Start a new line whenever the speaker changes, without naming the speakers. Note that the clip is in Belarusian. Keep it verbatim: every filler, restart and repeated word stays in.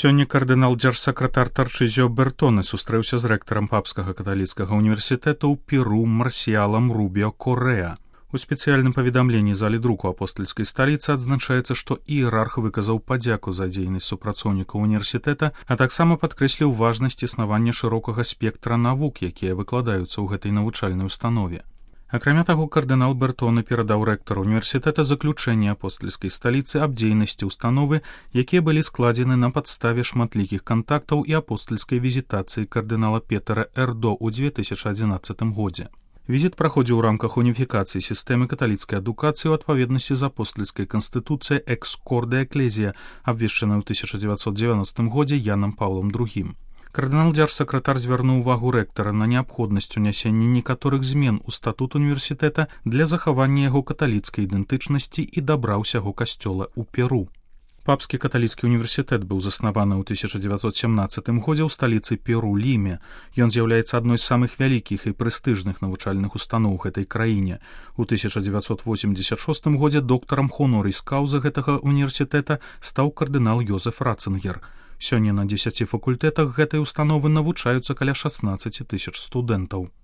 Сёння кардынал-дзяржсакратар Тарчызіо Бертоне сустрэўся з рэктарам папскага каталіцкага універсітэта ў Перу Марсіалам Рубіо Коррэа. У спецыяльным паведамленні залі друку апостальскай сталіцы адзначаецца, што іерарх выказаў падзяку за дзейнасць супрацоўнікаў універсітэта, а таксама падкрэсліў важнасць існавання шырокага спектра навук, якія выкладаюцца ў гэтай навучальнай установе. Акрамя таго, кардынал Бертоне перадаў рэктару універсітэта заключэнне апостальскай сталіцы аб дзейнасці ўстановы, якія былі складзены на падставе шматлікіх кантактаў і апостальскай візітацыі кардынала Петера Эрдо ў дзве тысячы адзінаццатым годзе. Візіт праходзіў у рамках уніфікацыі сістэмы каталіцкай адукацыі ў адпаведнасці з апостальскай канстытуцыяй «Экс корде экклезія», абвешчанай у тысяча дзевяцьсот дзевяностым годзе Янам Паўлам другім. Кардынал-дзяржсакратар звярнуў увагу рэктара на неабходнасць унясення некаторых змен у статут універсітэта для захавання яго каталіцкай ідэнтычнасці і дабра ўсяго касцёла ў Перу. Папскі каталіцкі універсітэт быў заснаваны ў тысяча дзевяцьсот сямнаццатым годзе ў сталіцы Перу Ліме. Ён з'яўляецца адной з самых вялікіх і прэстыжных навучальных устаноў гэтай краіне. У тысяча дзевяцьсот восемьдесят шостым годзе доктарам хонорис каўза гэтага універсітэта стаў кардынал Йозеф Ратцингер. Сёння на дзесяці факультэтах гэтай установы навучаюцца каля шаснаццаці тысяч студэнтаў.